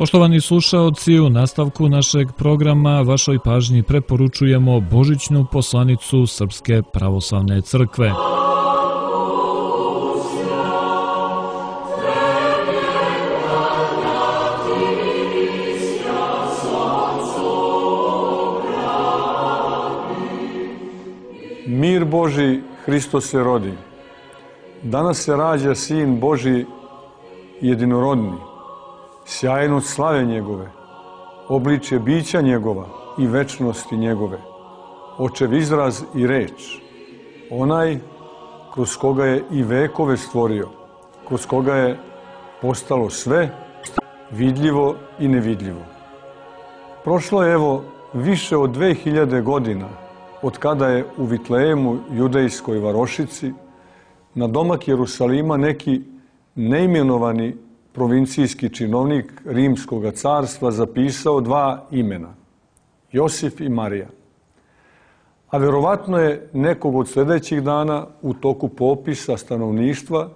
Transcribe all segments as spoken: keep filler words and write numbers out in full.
Poštovani slušaoci, u nastavku našeg programa vašoj pažnji preporučujemo božićnu poslanicu Srpske pravoslavne crkve. Mir Boži, Hristos se rodi. Danas se rađa Sin Boži jedinorodni, sjajnost slave njegove, obličje bića njegova i večnosti njegove, očev izraz i reč, onaj kroz koga je i vekove stvorio, kroz koga je postalo sve, vidljivo i nevidljivo. Prošlo je evo više od dve hiljade godina od kada je u Vitlejemu, judejskoj varošici, na domak Jerusalima neki neimenovani provincijski činovnik Rimskog carstva zapisao dva imena, Josif i Marija. A verovatno je nekog od sljedećih dana u toku popisa stanovništva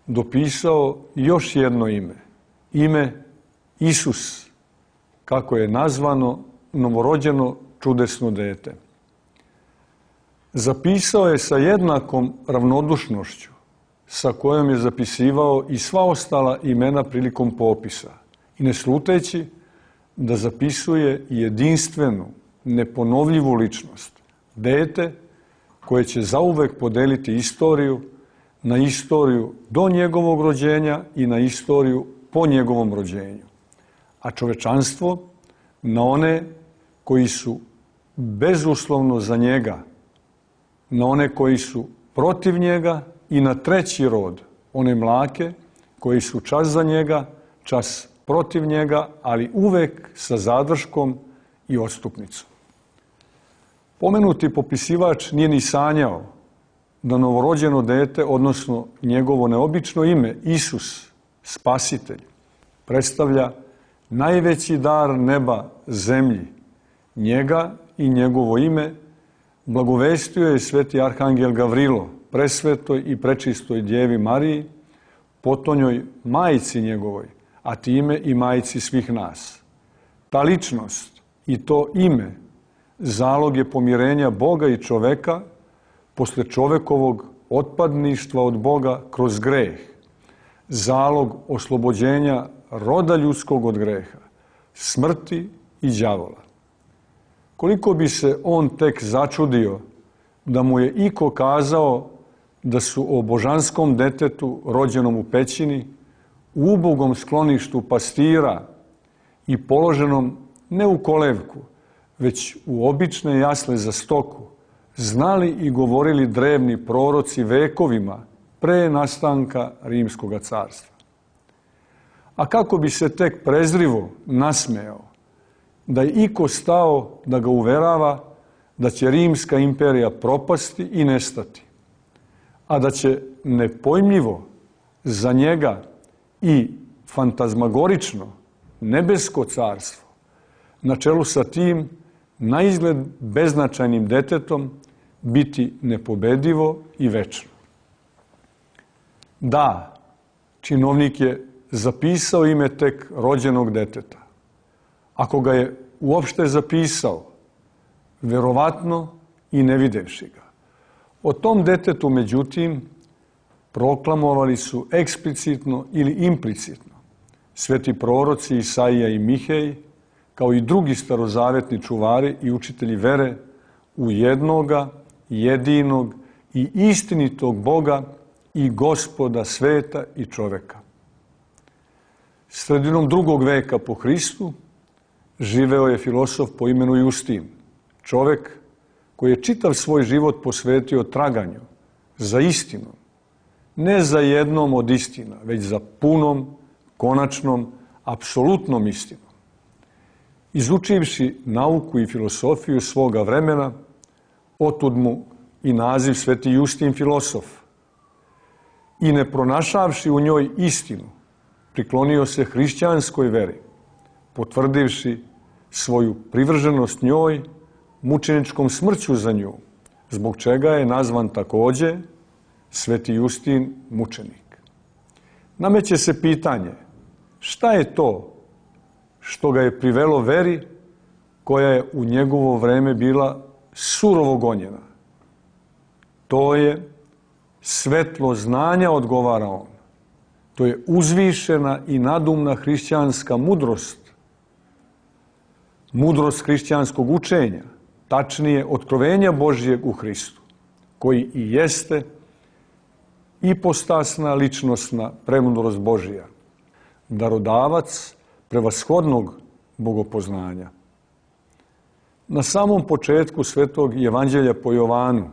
dopisao još jedno ime, ime Isus, kako je nazvano novorođeno čudesno dete. Zapisao je sa jednakom ravnodušnošću sa kojom je zapisivao i sva ostala imena prilikom popisa i ne sluteći da zapisuje jedinstvenu, neponovljivu ličnost, dete koje će zauvek podeliti istoriju na istoriju do njegovog rođenja i na istoriju po njegovom rođenju, a čovečanstvo na one koji su bezuslovno za njega, na one koji su protiv njega i na treći rod, one mlake koji su čas za njega, čas protiv njega, ali uvek sa zadrškom i odstupnicom. Pomenuti popisivač nije ni sanjao da novorođeno dete, odnosno njegovo neobično ime, Isus, Spasitelj, predstavlja najveći dar neba zemlji. Njega i njegovo ime blagovestio je sveti arhangel Gavrilo, presvetoj i prečistoj Djevi Mariji, potonjoj majici njegovoj, a time i majici svih nas. Ta ličnost i to ime zalog je pomirenja Boga i čoveka posle čovekovog otpadništva od Boga kroz greh, zalog oslobođenja roda ljudskog od greha, smrti i đavola. Koliko bi se on tek začudio da mu je iko kazao da su o božanskom detetu rođenom u pećini, u ubogom skloništu pastira i položenom ne u kolevku, već u obične jasle za stoku, znali i govorili drevni proroci vekovima pre nastanka Rimskog carstva. A kako bi se tek prezrivo nasmejao da je iko stao da ga uverava da će Rimska imperija propasti i nestati, a da će nepojmljivo za njega i fantazmagorično nebesko carstvo na čelu sa tim naizgled beznačajnim detetom biti nepobedivo i večno. Da, činovnik je zapisao ime tek rođenog deteta. Ako ga je uopšte zapisao, verovatno i ne videvši ga. O tom detetu, međutim, proklamovali su eksplicitno ili implicitno sveti proroci Isaija i Mihej, kao i drugi starozavetni čuvari i učitelji vere u jednoga, jedinog i istinitog Boga i Gospoda sveta i čoveka. Sredinom drugog veka po Hristu živeo je filosof po imenu Justin, čovek koji je čitav svoj život posvetio traganju za istinom, ne za jednom od istina, već za punom, konačnom, apsolutnom istinom. Izučivši nauku i filosofiju svoga vremena, otud mu i naziv sveti Justin filosof, i ne pronašavši u njoj istinu, priklonio se hrišćanskoj veri, potvrdivši svoju privrženost njoj mučeničkom smrću za nju, zbog čega je nazvan takođe sveti Justin mučenik. Nameće se pitanje, šta je to što ga je privelo veri koja je u njegovo vreme bila surovo gonjena. To je svetlo znanja, odgovara on. To je uzvišena i nadumna hrišćanska mudrost. Mudrost hrišćanskog učenja, tačnije otkrovenja Božijeg u Hristu, koji i jeste ipostasna ličnosna premudrost Božija, darodavac prevashodnog bogopoznanja. Na samom početku Svetog Evanđelja po Jovanu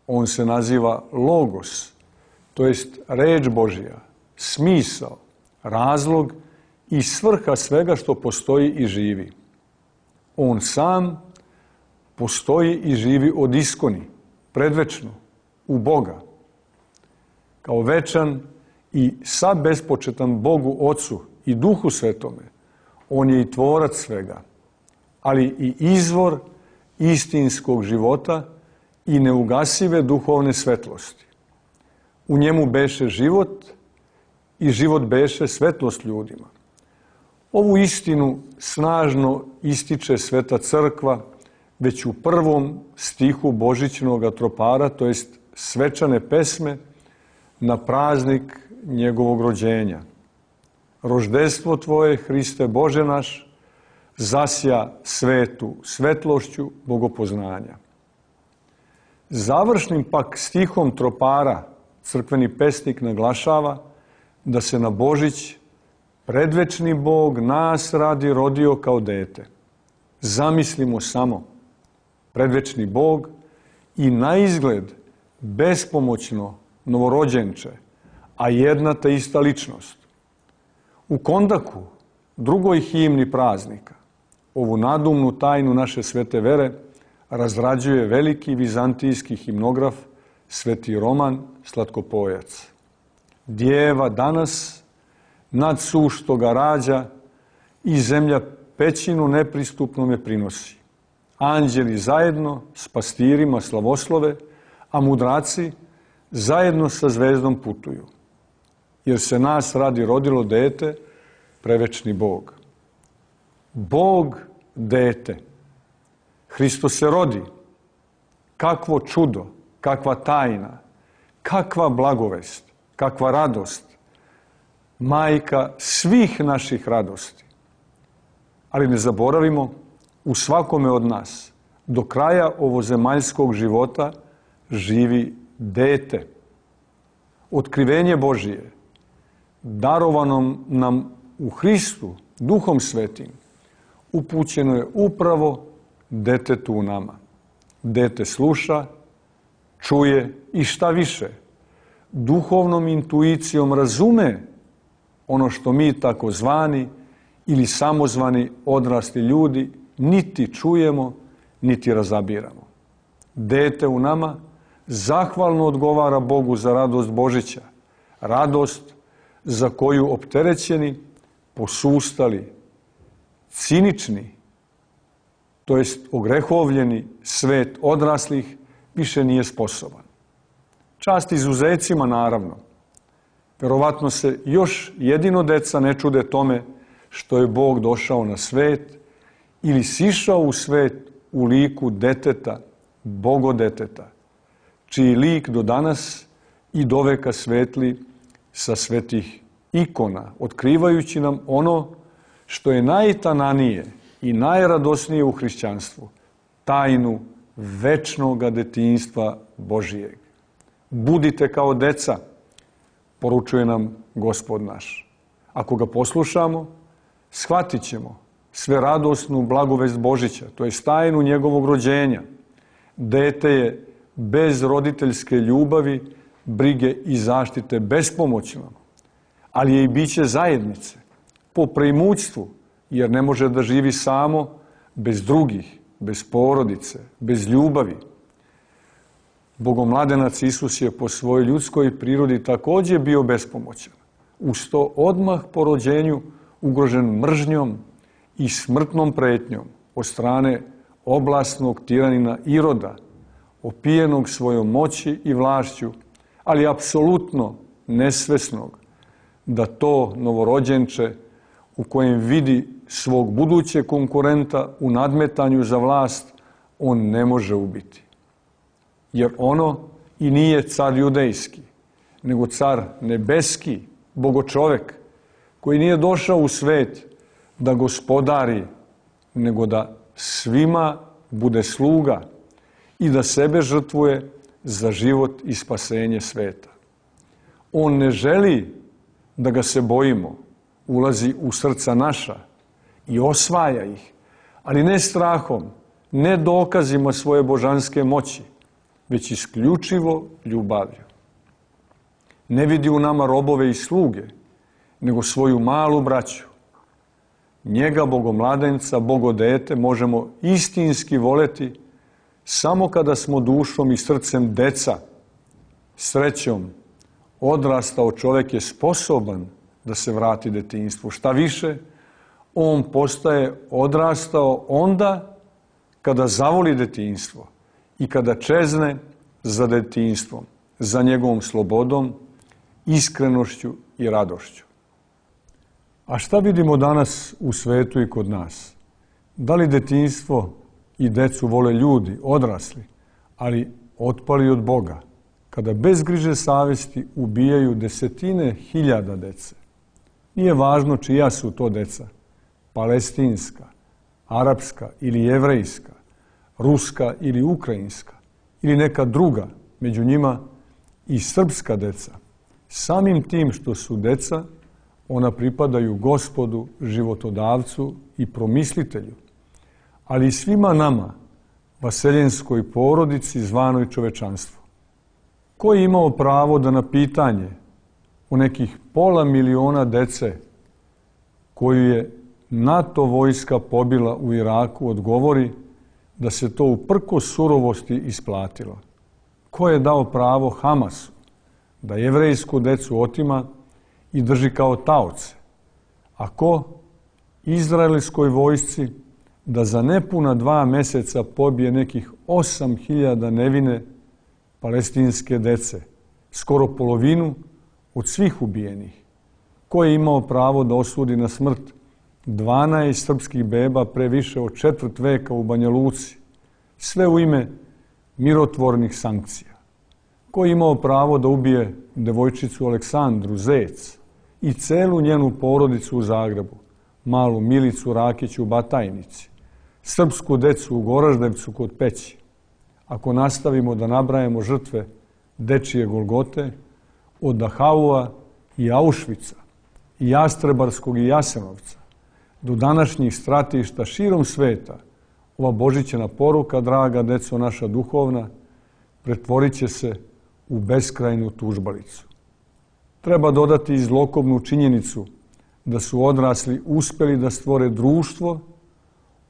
on se naziva Logos, to jest reč Božija, smisao, razlog i svrha svega što postoji i živi. On sam postoji i živi od iskoni, predvečno, u Boga. Kao večan i sad bespočetan Bogu Ocu i Duhu Svetome, on je i tvorac svega, ali i izvor istinskog života i neugasive duhovne svetlosti. U njemu beše život i život beše svetlost ljudima. Ovu istinu snažno ističe Sveta Crkva već u prvom stihu Božićnog tropara, to jest svečane pesme na praznik njegovog rođenja. Roždestvo Tvoje, Hriste Bože naš, zasja svetu svetlošću bogopoznanja. Završnim pak stihom tropara crkveni pesnik naglašava da se na Božić predvečni Bog nas radi rodio kao dete. Zamislimo samo, predvečni Bog i na izgled bespomoćno novorođenče, a jedna te ista ličnost. U kondaku, drugoj himni praznika, ovu nadumnu tajnu naše svete vere razrađuje veliki vizantijski himnograf Sveti Roman Slatkopojac. Djeva danas nad sušto ga rađa i zemlja pećinu nepristupno me prinosi. Anđeli zajedno s pastirima slavoslove, a mudraci zajedno sa zvezdom putuju. Jer se nas radi rodilo dete, prevečni Bog. Bog dete. Hristos se rodi. Kakvo čudo, kakva tajna, kakva blagovest, kakva radost. Majka svih naših radosti. Ali ne zaboravimo, u svakome od nas, do kraja ovozemaljskog života, živi dete. Otkrivenje Božije, darovanom nam u Hristu, Duhom Svetim, upućeno je upravo detetu u nama. Dete sluša, čuje i šta više, duhovnom intuicijom razume ono što mi takozvani ili samozvani odrasli ljudi niti čujemo, niti razabiramo. Dete u nama zahvalno odgovara Bogu za radost Božića, radost za koju opterećeni, posustali, cinični, to jest ogrehovljeni svet odraslih više nije sposoban. Čast izuzecima, naravno. Verovatno se još jedino deca ne čude tome što je Bog došao na svet ili sišao u svet u liku deteta, bogodeteta, čiji lik do danas i do veka svetli sa svetih ikona, otkrivajući nam ono što je najtananije i najradosnije u hrišćanstvu, tajnu večnoga detinjstva Božijeg. Budite kao deca, poručuje nam Gospod naš. Ako ga poslušamo, shvatit ćemo sve radosnu blagovest Božića, to je tajnu njegovog rođenja. Dete je bez roditeljske ljubavi, brige i zaštite bespomoćno, ali je i biće zajednice, po preimućstvu, jer ne može da živi samo, bez drugih, bez porodice, bez ljubavi. Bogomladenac Isus je po svojoj ljudskoj prirodi također bio bespomoćan. Uz to odmah po rođenju ugrožen mržnjom i smrtnom pretnjom od strane oblasnog tiranina Iroda, opijenog svojom moći i vlašću, ali apsolutno nesvesnog da to novorođenče u kojem vidi svog budućeg konkurenta u nadmetanju za vlast on ne može ubiti. Jer ono i nije car judejski, nego car nebeski, bogočovek, koji nije došao u svet da gospodari, nego da svima bude sluga i da sebe žrtvuje za život i spasenje sveta. On ne želi da ga se bojimo, ulazi u srca naša i osvaja ih, ali ne strahom, ne dokazima svoje božanske moći, već isključivo ljubavlju. Ne vidi u nama robove i sluge, nego svoju malu braću. Njega, bogomladenca, bogodete, možemo istinski voleti samo kada smo dušom i srcem deca. Srećom, odrastao čovjek je sposoban da se vrati detinjstvu. Šta više, on postaje odrastao onda kada zavoli detinjstvo i kada čezne za detinjstvom, za njegovom slobodom, iskrenošću i radošću. A šta vidimo danas u svetu i kod nas? Da li detinjstvo i decu vole ljudi, odrasli, ali otpali od Boga, kada bez griže savjesti ubijaju desetine hiljada dece? Nije važno čija su to deca, palestinska, arapska ili jevrejska, ruska ili ukrajinska, ili neka druga, među njima i srpska deca. Samim tim što su deca, ona pripadaju Gospodu, životodavcu i promislitelju, ali i svima nama, vaseljenskoj porodici zvanoj čovečanstvo. Ko je imao pravo da na pitanje o nekih pola miliona dece koju je NATO vojska pobila u Iraku odgovori da se to uprkos surovosti isplatilo? Ko je dao pravo Hamasu da jevrejsku decu otima i drži kao taoce? A ko izraelskoj vojsci da za nepuna dva meseca pobije nekih osam hiljada nevine palestinske dece, skoro polovinu od svih ubijenih? Ko je imao pravo da osudi na smrt dvanaest srpskih beba pre više od četvrt veka u Banja Luci, sve u ime mirotvornih sankcija? Ko je imao pravo da ubije devojčicu Aleksandru Zec i celu njenu porodicu u Zagrebu, malu Milicu Rakić u Batajnici, srpsku decu u Goraždevcu kod Peći? Ako nastavimo da nabrajamo žrtve dečije Golgote, od Dahaua i Auschwitza, i Jastrebarskog i Jasenovca, do današnjih stratišta širom sveta, ova božićna poruka, draga deco naša duhovna, pretvorit će se u beskrajnu tužbalicu. Treba dodati i zlokobnu činjenicu da su odrasli uspeli da stvore društvo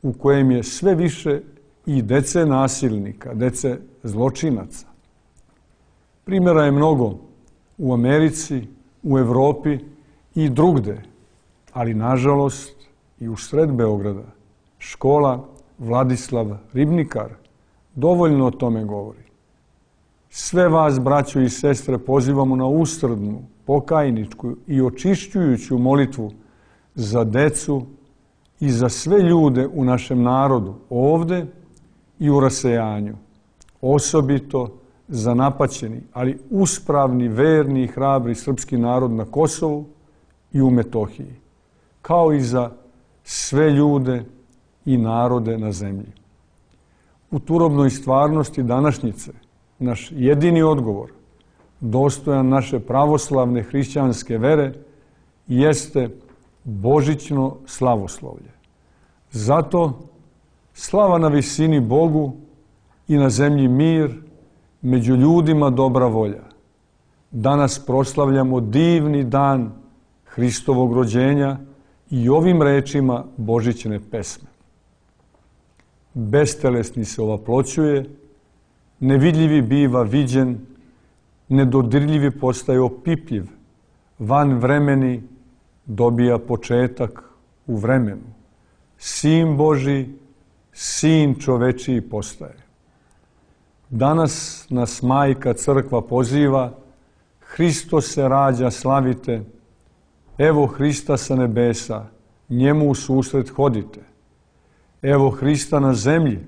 u kojem je sve više i dece nasilnika, dece zločinaca. Primjera je mnogo u Americi, u Evropi i drugde, ali nažalost i u sred Beograda. Škola Vladislav Ribnikar dovoljno o tome govori. Sve vas, braćo i sestre, pozivamo na usrdnu, pokajničku i očišćujuću molitvu za decu i za sve ljude u našem narodu, ovde i u rasejanju. Osobito za napaćeni, ali uspravni, verni i hrabri srpski narod na Kosovu i u Metohiji, kao i za sve ljude i narode na zemlji. U turobnoj stvarnosti današnjice naš jedini odgovor, dostojan naše pravoslavne hrišćanske vere, jeste božićno slavoslovlje. Zato slava na visini Bogu i na zemlji mir, među ljudima dobra volja. Danas proslavljamo divni dan Hristovog rođenja i ovim rečima božićne pesme. Bestelesni se ovaploćuje, nevidljivi biva viđen, nedodirljivi postaje opipljiv, van vremeni dobija početak u vremenu. Sin Boži, sin čovečiji postaje. Danas nas Majka Crkva poziva, Hristos se rađa, slavite, evo Hrista sa nebesa, njemu u susret hodite. Evo Hrista na zemlji,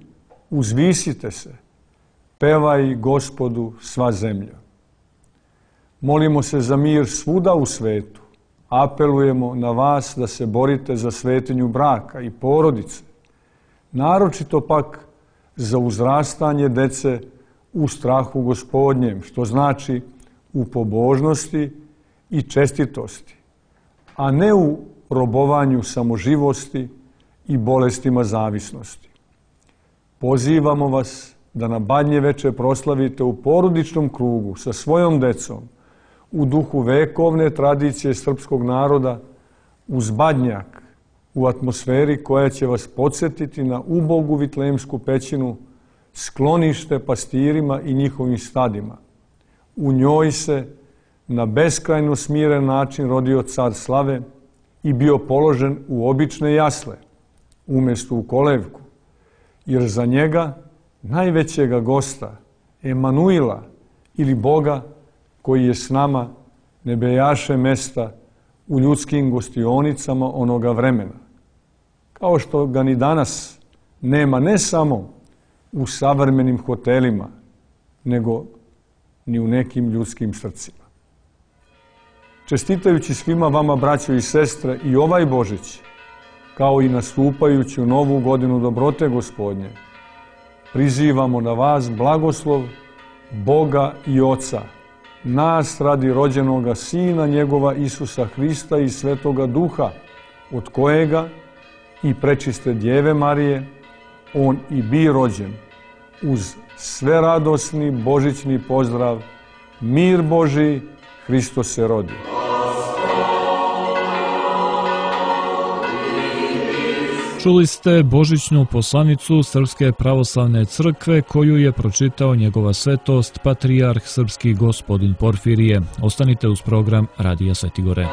uzvisite se, pevaj Gospodu sva zemlja. Molimo se za mir svuda u svetu, apelujemo na vas da se borite za svetinju braka i porodice, naročito pak za uzrastanje dece u strahu Gospodnjem, što znači u pobožnosti i čestitosti, a ne u robovanju samoživosti i bolestima zavisnosti. Pozivamo vas da na Badnje veče proslavite u porodičnom krugu sa svojom decom, u duhu vekovne tradicije srpskog naroda, uz Badnjak, u atmosferi koja će vas podsjetiti na ubogu Vitlemsku pećinu, sklonište pastirima i njihovim stadima. U njoj se na beskrajno smiren način rodio car slave i bio položen u obične jasle, umjesto u kolevku, jer za njega, najvećega gosta, Emanuila ili Boga koji je s nama, ne bejaše mesta u ljudskim gostionicama onoga vremena, kao što ga ni danas nema ne samo u savremenim hotelima, nego ni u nekim ljudskim srcima. Čestitajući svima vama, braćo i sestre, i ovaj Božić, kao i nastupajući u novu godinu dobrote Gospodnje, prizivamo na vas blagoslov Boga i Oca, nas radi rođenoga Sina njegova Isusa Hrista i Svetoga Duha, od kojega i prečiste Djeve Marije on i bi rođen, uz sve radosni božićni pozdrav: mir Božiji, Hristos se rodi. Čuli ste božićnu poslanicu Srpske pravoslavne crkve koju je pročitao njegova svetost, patrijarh srpski gospodin Porfirije. Ostanite uz program Radija Sveti Gore.